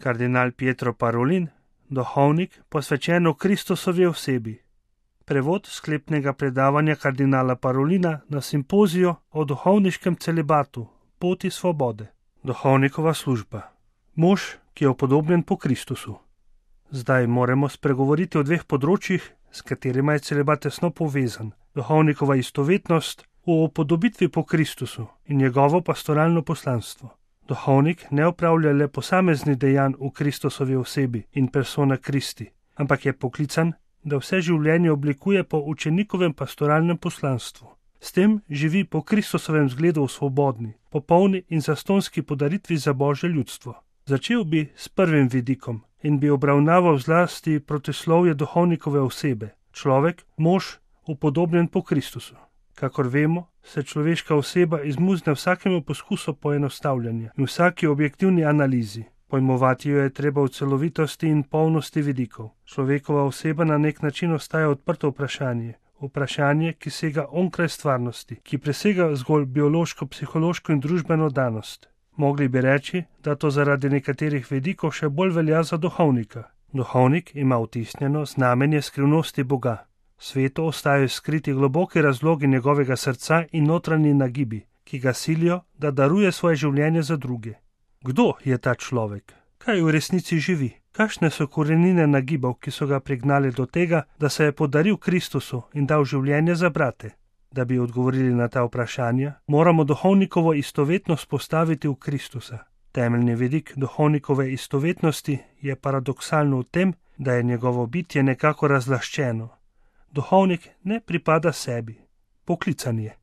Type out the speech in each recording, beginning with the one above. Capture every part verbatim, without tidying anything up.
Kardinal Pietro Parolin, duhovnik, posvečen Kristusovi osebi. Prevod sklepnega predavanja kardinala Parolina na simpoziju o duhovniškem celibatu, poti svobode. Duhovnikova služba. Mož, ki je upodobljen po Kristusu. Zdaj moramo spregovoriti o dveh področjih, s katerima je celibat tesno povezan. Duhovnikova istovetnost v upodobitvi po Kristusu in njegovo pastoralno poslanstvo. Duhovnik ne opravlja le posameznih dejanj v Kristusovi osebi in persona Kristi, ampak je poklican, da vse življenje oblikuje po učenikovem pastoralnem poslanstvu. S tem živi po Kristusovem zgledu v svobodni, popolni in zastonski podaritvi za Božje ljudstvo. Začel bi s prvim vidikom in bi obravnaval zlasti protislovje duhovnikove osebe, človek, mož, upodobljen po Kristusu. Kakor vemo, se človeška oseba izmuzne vsakemu poskusu poenostavljanja in vsaki objektivni analizi. Pojmovati jo je treba v celovitosti in polnosti vidikov. Človekova oseba na nek način ostaja odprto vprašanje. Vprašanje, ki sega onkraj stvarnosti, ki presega zgolj biološko, psihološko in družbeno danost. Mogli bi reči, da to zaradi nekaterih vidikov še bolj velja za duhovnika. Duhovnik ima vtisnjeno znamenje skrivnosti Boga. Svetu ostajajo skriti globoki razlogi njegovega srca in notranji nagibi, ki ga silijo, da daruje svoje življenje za druge. Kdo je ta človek? Kaj v resnici živi? Kakšne so korenine nagibov, ki so ga prignali do tega, da se je podaril Kristusu in dal življenje za brate? Da bi odgovorili na ta vprašanja, moramo duhovnikovo istovetnost postaviti v Kristusa. Temeljni vidik duhovnikove istovetnosti je paradoksalno v tem, da je njegovo bitje nekako razlaščeno. Duhovnik ne pripada sebi, poklican je.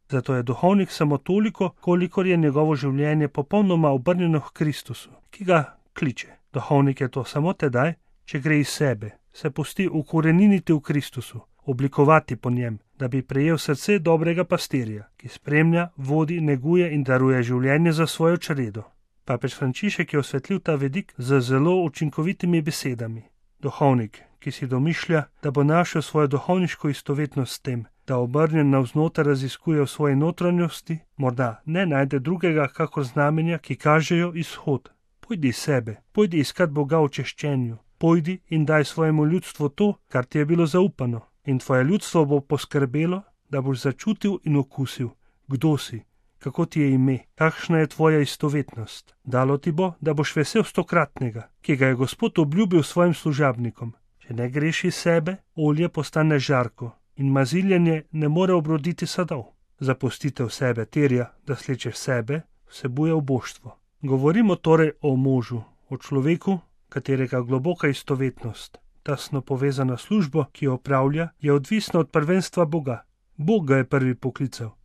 Zato je duhovnik samo toliko, kolikor je njegovo življenje popolnoma obrnjeno k Kristusu, ki ga kliče. Duhovnik je to samo tedaj, če gre iz sebe, se pusti ukoreniniti v Kristusu, oblikovati po njem, da bi prejel srce dobrega pastirja, ki spremlja, vodi, neguje in daruje življenje za svojo čredo. Papež Frančišek je osvetlil ta vidik z zelo učinkovitimi besedami. Duhovnik, ki si domišlja, da bo našel svojo duhovniško istovetnost s tem, da obrnjen navznoter raziskuje v svoji notranjosti, morda ne najde drugega kakor znamenja, ki kažejo izhod. Pojdi iz sebe, pojdi iskat Boga v češčenju, pojdi in daj svojemu ljudstvu to, kar ti je bilo zaupano, in tvoje ljudstvo bo poskrbelo, da boš začutil in okusil, kdo si, kako ti je ime, kakšna je tvoja istovetnost. Dalo ti bo, da boš vesel stokratnega, ki ga je Gospod obljubil svojim služabnikom. Če ne greš iz sebe, olje postane žarko in maziljenje ne more obroditi sadov. Zapustitev sebe terja, da slečeš sebe, vsebuje oboštvo. Govorimo torej o možu, o človeku, katerega globoka istovetnost, tesno povezana službo, ki jo opravlja, je odvisna od prvenstva Boga. Bog ga je prvi poklical.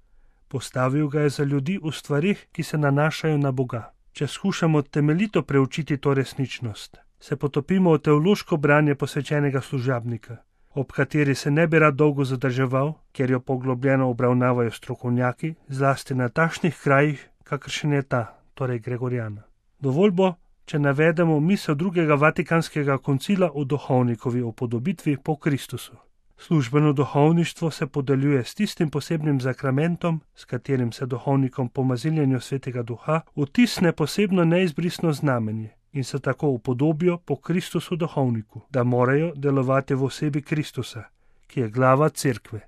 Postavil ga je za ljudi v stvarih, ki se nanašajo na Boga. Če skušamo temeljito preučiti to resničnost, se potopimo v teološko branje posvečenega služabnika, ob kateri se ne bi rad dolgo zadrževal, ker jo poglobljeno obravnavajo strokovnjaki, zlasti na takšnih krajih, kakršen je ta, torej Gregoriana. Dovolj bo, če navedemo misel drugega vatikanskega koncila o duhovnikovi upodobitvi po Kristusu. Službeno duhovništvo se podeljuje s tistim posebnim zakramentom, s katerim se duhovnikom po maziljenju Svetega Duha vtisne posebno neizbrisno znamenje in se tako upodobijo po Kristusu duhovniku, da morajo delovati v osebi Kristusa, ki je glava cerkve.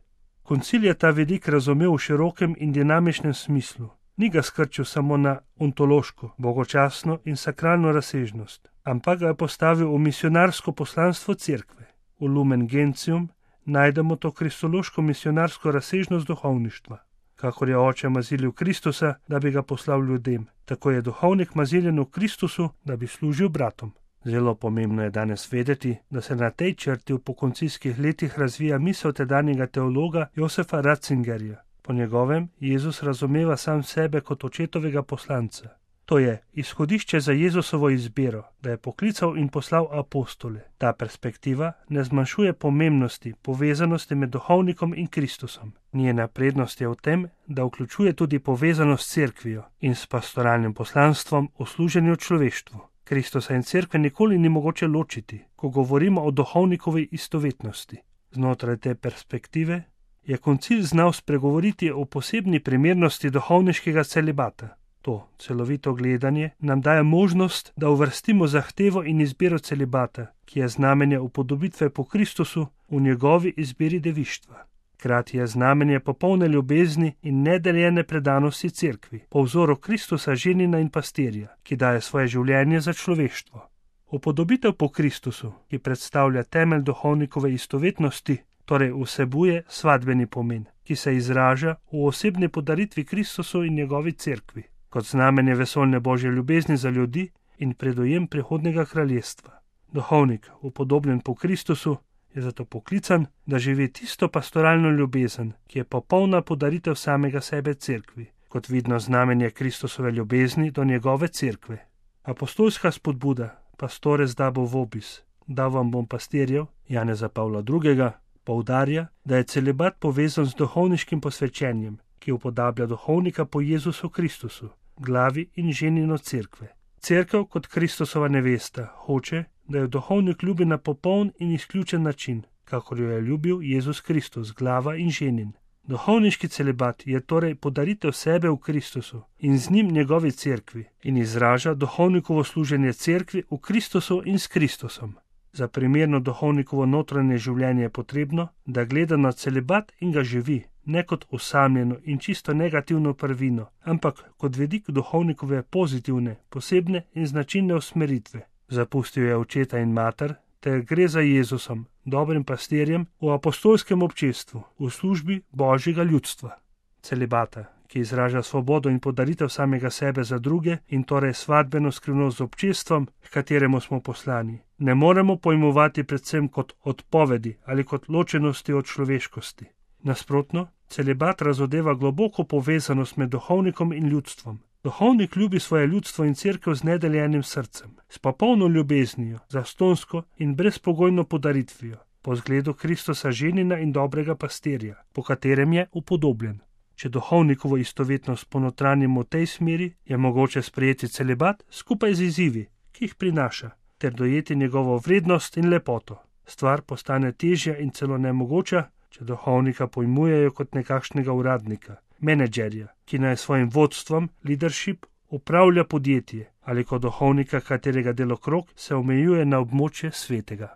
Koncil je ta vidik razumel v širokem in dinamičnem smislu. Ni ga skrčil samo na ontološko, bogočasno in sakralno razsežnost, ampak ga je postavil v misionarsko poslanstvo cerkve. V Lumen Gentium najdemo to kristološko misionarsko razsežnost duhovništva. Kakor je oče mazilil Kristusa, da bi ga poslal ljudem, tako je duhovnik maziljen v Kristusu, da bi služil bratom. Zelo pomembno je danes vedeti, da se na tej črti v pokoncijskih letih razvija misel tedanjega teologa Josefa Ratzingerja. Po njegovem Jezus razumeva sam sebe kot očetovega poslanca. To je izhodišče za Jezusovo izbiro, da je poklical in poslal apostole. Ta perspektiva ne zmanjšuje pomembnosti, povezanosti med duhovnikom in Kristusom. Njena prednost je v tem, da vključuje tudi povezanost s cerkvijo in s pastoralnim poslanstvom v služenju človeštvu. Kristusa in cerkve nikoli ni mogoče ločiti, ko govorimo o duhovnikovi istovetnosti. Znotraj te perspektive je koncil znal spregovoriti o posebni primernosti duhovniškega celibata. To celovito gledanje nam daje možnost, da uvrstimo zahtevo in izbiro celibata, ki je znamenje upodobitve po Kristusu v njegovi izbiri devištva. Hkrati je znamenje popolne ljubezni in nedeljene predanosti cerkvi, po vzoru Kristusa ženina in pastirja, ki daje svoje življenje za človeštvo. Upodobitev po Kristusu, ki predstavlja temelj duhovnikove istovetnosti, torej vsebuje svadbeni pomen, ki se izraža v osebni podaritvi Kristusu in njegovi cerkvi, kot znamenje vesoljne Božje ljubezni za ljudi in predojem prihodnega kraljestva. Duhovnik, upodobljen po Kristusu, je zato poklican, da živi tisto pastoralno ljubezen, ki je popolna podaritev samega sebe cerkvi, kot vidno znamenje Kristusove ljubezni do njegove cerkve. Apostolska spodbuda Pastores dabo vobis, dal vam bom pastirjev, Janeza Pavla drugega, poudarja, da je celibat povezan z duhovniškim posvečenjem, ki upodablja duhovnika po Jezusu Kristusu, glavi in ženino cerkve. Cerkev kot Kristusova nevesta hoče, da jo duhovnik ljubi na popoln in izključen način, kakor jo je ljubil Jezus Kristus, glava in ženin. Duhovniški celibat je torej podaritev sebe v Kristusu in z njim njegovi cerkvi in izraža duhovnikovo služenje cerkvi v Kristusu in s Kristusom. Za primerno duhovnikovo notranje življenje je potrebno, da gleda na celibat in ga živi, ne kot osamljeno in čisto negativno prvino, ampak kot vidik duhovnikove pozitivne, posebne in značilne usmeritve. Zapustil je očeta in mater, ter gre za Jezusom, dobrim pastirjem, v apostolskem občestvu, v službi Božjega ljudstva. Celibata, ki izraža svobodo in podaritev samega sebe za druge in torej svadbeno skrivnost z občestvom, k kateremu smo poslani, ne moremo pojmovati predvsem kot odpovedi ali kot ločenosti od človeškosti. Nasprotno, celibat razodeva globoko povezanost med duhovnikom in ljudstvom. Duhovnik ljubi svoje ljudstvo in cerkev z nedeljenim srcem, s popolno ljubeznijo, zastonsko in brezpogojno podaritvijo, po zgledu Kristusa ženina in dobrega pastirja, po katerem je upodobljen. Če duhovnikovo istovetnost ponotranjimo v tej smeri, je mogoče sprejeti celibat skupaj z izzivi, ki jih prinaša, ter dojeti njegovo vrednost in lepoto. Stvar postane težja in celo nemogoča, če duhovnika pojmujejo kot nekakšnega uradnika, menedžerja, ki naj svojim vodstvom, leadership, upravlja podjetje, ali kot duhovnika, katerega delokrog se omejuje na območje svetega.